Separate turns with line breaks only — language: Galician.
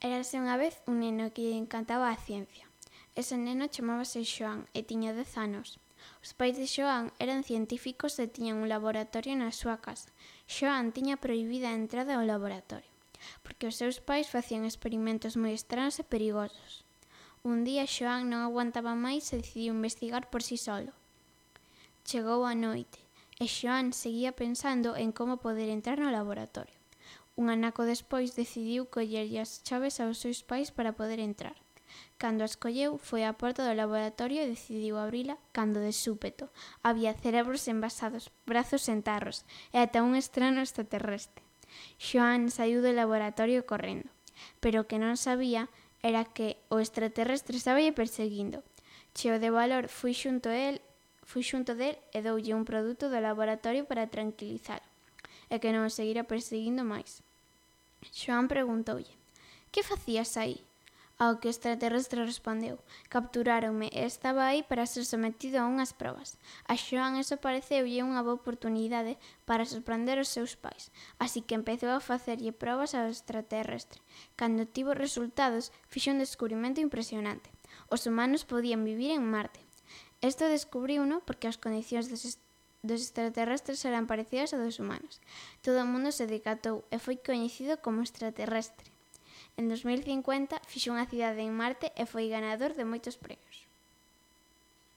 Érase unha vez un neno que lle encantaba a ciencia. Ese neno chamábase Xoán e tiña 10 anos. Os pais de Xoán eran científicos e tiñan un laboratorio na súa casa. Xoán tiña prohibida a entrada ao laboratorio, porque os seus pais facían experimentos moi estranhos e perigosos. Un día Xoán non aguantaba máis e decidiu investigar por si solo. Chegou a noite e Xoán seguía pensando en como poder entrar no laboratorio. Un anaco despois decidiu collerlle as chaves aos seus pais para poder entrar. Cando as colleu, foi á porta do laboratorio e decidiu abrila cando de súpeto había cerebros envasados, brazos en tarros e ata un estrano extraterrestre. Xoán saíu do laboratorio correndo, pero o que non sabía era que o extraterrestre estáballe perseguindo. Cheo de valor, fui xunto del e doulle un produto do laboratorio para tranquilizalo e que non o seguira perseguindo máis. Xoán preguntoulle: "Que facías aí?" Ao que o extraterrestre respondeu: "Capturáronme e estaba aí para ser sometido a unhas probas." A Xoán eso pareceulle unha boa oportunidade para sorprender os seus pais, así que empezou a facerlle probas ao extraterrestre. Cando tivo resultados, fixo un descubrimento impresionante: os humanos podían vivir en Marte. Isto descubriuno porque as condicións dos extraterrestres eran parecidas ás dos humanos. Todo o mundo se decatou e foi coñecido como extraterrestre. En 2050 fixo unha cidade en Marte e foi ganador de moitos premios.